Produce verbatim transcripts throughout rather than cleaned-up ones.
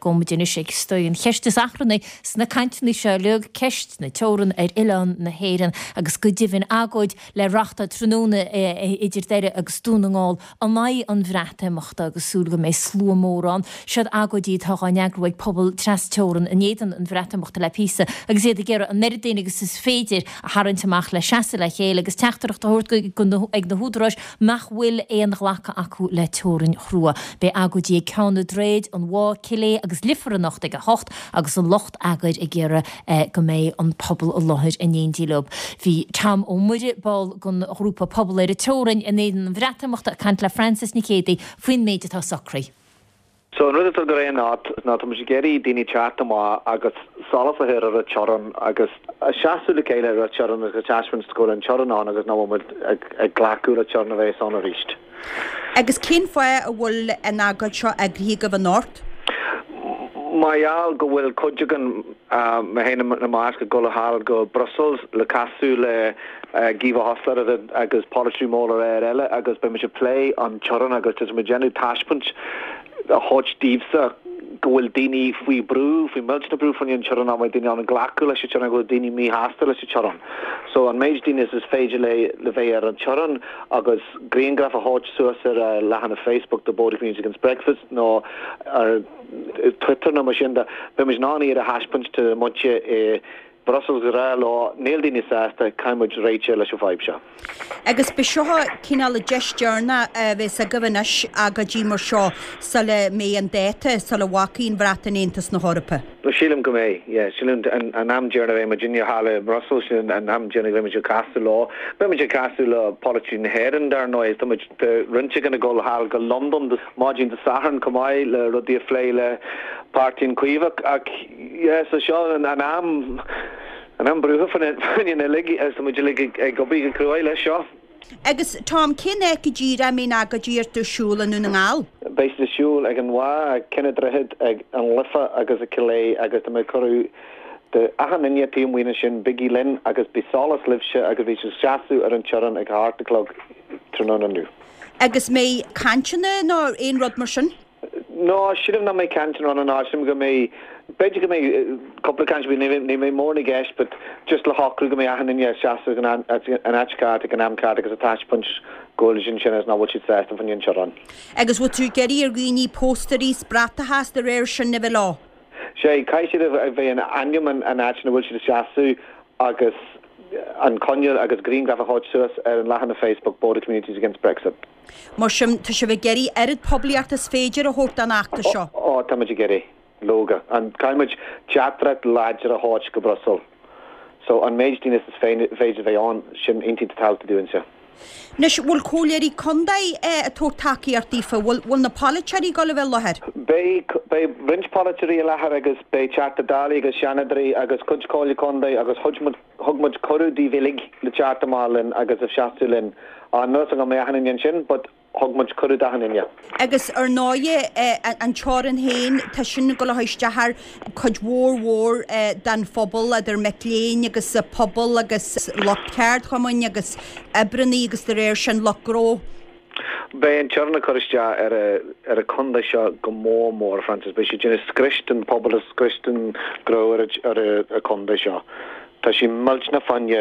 Gabhfaidh muid anois ag stoi an cheist is achrannaí sna cainteanna seo uilig ceist na teorann ar oileán na hÉireann agus go deimhin agóid le reáchtáil tráthnóna idir Doire agus Dún na nGall in aghaidh an Bhreatimeachta agus súil go mbeidh slua mór ann. Siod agóidí atá á n-eagrú ag pobal trasteorann in éadan an Bhreatimeachta le píosa agus iad ag iarraidh an oiread daoine agus is féidir a tharraingt amach le seasamh le chéile agus teachtaireacht a thabhairt ag na húdaráis nach bhfuil aon ghlacadh acu le teorainn chrua. Beidh agóidí ag Ceann na Droichead, an Mhá, Cill Aodha agus Leifear anocht ag a hocht agus an lucht eagair ag iarraidh go mbeidh an pobal i láthair in éindí leo. Bhí Tom Ó Muire ball den ghrúpa Pobal ar an Teorainn in éadan an Bhreatimeachta ag caint le Francis Nic Géadaigh faoin méid atá socraithe. So an rud atá go réidh ná ná tá muid ag iarraidh daoine teacht amach agus solas a chur ar an teorainn agus a seasamh le chéile ar an teorainn agus taispeáint go bhfuil an teorainn ann agus nach bhfuil muid ag, ag glacadh le teorainn a bheith ann arís. Agus cén fáth a bhfuil an agóid seo eagraithe agaibh anocht? Mar gheall go bhfuil cuid againn mé féin ina measc ag dul thall go Brussels le casadh le Guy Verhofstadt agus polaiteoirí móra ar eile agus beidh muid ag plé an teorainn agus tá muid déanamh taispeáint a thabhairt daoibhse go bhfuil daoine faoi brú faoi millteanach brú faoin an teorainn nach daoine an glacadh leis an teorainn go bhfuil daoine míshásta leis an teorainn. So an méid daoine is féidir le le bheith ar an teorainn agus grianghraf a thabhairt suas ar uh, leathanach Facebook the Border Community Against Brexit nó ar Twitter nó mar sin de beidh muid in ann iad a thaispeáint do muintir i Brussels go rá leo níl daoine sásta caithfidh muid réiteach leis an bhfadhb seo. Agus b'é seo cineál deis deireanach a bheas agaibh anois agóidí mar seo sula mbeidh an dáta sula bhfágfaidh an Bhreatain Aontas na hEorpa. No sílim go mbeidh, yeah, sílim an, an am deireanach a bheidh muidinne thall i Brussels sin an am deireanach a bheidh muid ag casadh leo. Beidh muid ag casadh le polaiteoirí na hÉireann dar ndóigh, tá muid roinnt againn ag dul thall go London maidin Dé Sathairn chomh maith le rudaí a phlé le Páirtí an Chaomhach ach yeah, so seo an, an am an am brútha faoin uilig is muid uilig ag obair go cruaidh leis seo. Agus Tom cén áit go díreach a mbeidh agóidí ar siúl i nDún na nGall? Beidh siad ar siúl ag an Mhá, ag Ceann an Droichid, ag an Life agus ag Cill Aodha agus tá mé cuireadh de achan duine taobh amuigh sin bígí linn agus bí solas libhse agus bhí sé seasamh ar an teorainn ag a hocht a chlog tráthnóna inniu. Agus mbeidh cainteanna nó aon rud mar sin? No, sílim nach mbeidh cainteanna ann ná sílim go mbeidh b'fhéidir go mbeidh cúpla caint ní ní mbeidh mór na gceist, but just le shocrú go mbeidh achan duine seasamh an an áit ceart ag an am ceart agus a taispeáint go bhfuil sin sin is nach bhfuil siad sásta faoin teorainn. Agus bhfuil tú ag iarraidh ar dhaoine póstaerí 's bratacha de réir sin a bheith leo. Sé caithfidh siad a bheith an ainm an an áit ina bhfuil siad ag seasamh agus an coinneal agus grianghraf a thabhairt suas ar an leathanach Facebook Border Communities Against Brexit. Mar sin tá sibh ag iarraidh oiread poiblíocht is féidir a thabhairt don fheachtas seo. Ó tá muid ag iarraidh leoga. An caithfidh muid teachtaireacht láidir a thabhairt go Brussels. So an méid daoine is féidir bheith ann sin iontach tábhachtach dúinse. Anois bhfuil comhairleoirí contae ag tabhairt tacaíocht daofa, bhfuil bhfuil na polaiteoirí ag dul a bheith i láthair? Beidh beidh roinnt polaiteoirí i láthair agus beidh Teachta Dála agus Seanadóirí agus cuid comhairle contae agus thug muid thug muid cuireadh daoibh uilig le teacht amach linn agus a seasamh linn. An nus go mbeidh achan duine ansin, but thug muid cuireadh d'achan duine. Agus ar ndóigh an teorainn féin tá sin ag dul a isteach ar cuid mhór mhór den phobal idir mic léinn agus pobal agus lucht ceardchumainn agus oibrithe agus de réir sin lucht gnó. Beidh an teorainn ag cur isteach ar a ar a contae seo go mór mór Francis, beidh sé déanamh scrios den pobal is scrios den gnó ar ar a contae seo. Tá sé millteanach fá choinne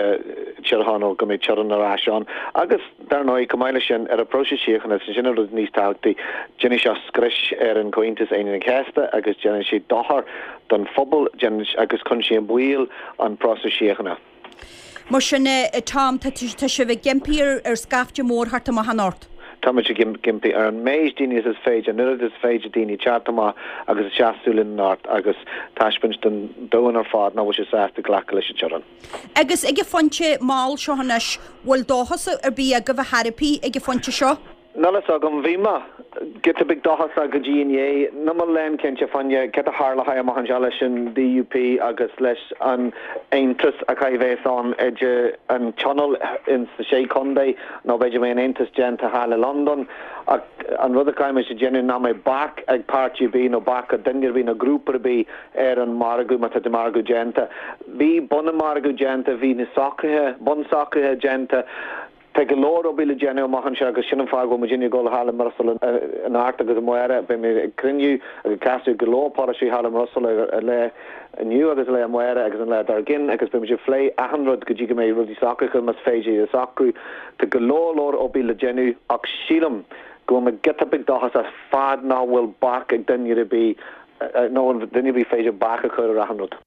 Tír Chonaill go mbeidh teorainn ar ais ann agus dar ndóigh chomh maith leis sin ar an próiseas síochána sin an rud níos tábhachtaí déanfaidh sé scrios ar an Comhaontas Aoine an Chéasta agus déanann sé dochar don phobal agus cuireann sé i mbaol an próiseas síochána. Mar sin Tom tá sibh ag impí ar ar scaifte mór thart amach anocht. Tá muid ag impí ar an méid daoine is féidir, an oiread is féidir daoine teacht amach agus a seasamh linn anocht agus taispeáint don domhan ar fad nach bhfuil sé sásta glacadh leis an teorainn. Agus ag an phointe mall seo anois, bhfuil dóchas ar bith agaibh a thairpí ag an phointe seo? Níl a fhios agam bhí mé giota beag dóchasach go dtí inné níl mé lánchinnte fá choinne cad a tharlóidh amach anseo leis an DUP agus leis an aontas a chaithfidh bheith ann idir an tionól in sa sé chontae nó b'fhéidir mbeidh an aontas déanta thall i Londain ach an rud a chaithfidh muid a dhéanamh ná mbeidh bac ag páirtí ar bith nó bac ag duine ar bith nó grúpa ar bith ar an margadh má tá de margadh déanta. Bhí bun an margadh déanta, bhí na socruithe bunsocruithe déanta Tá go leor obair le déanamh amach anseo agus sin an fáth go bhfuil muidinne ag dul thall i mBruiséil anocht agus amárach. Beidh mé ag cruinniú agus ag casadh go leor polasaí thall i mBruiséil ar lá inniu agus an lá amárach agus an lá dár gcionn agus beidh muid ag plé achan rud go dtí go mbeidh rudaí socraithe más féidir iad a socrú. Tá go leor leor obair le déanamh ach sílim go bhfuil mé giota beag dóchasach fad nach bhfuil bac ag duine ar bith nó duine ar bith féidir bac a chur ar achan rud.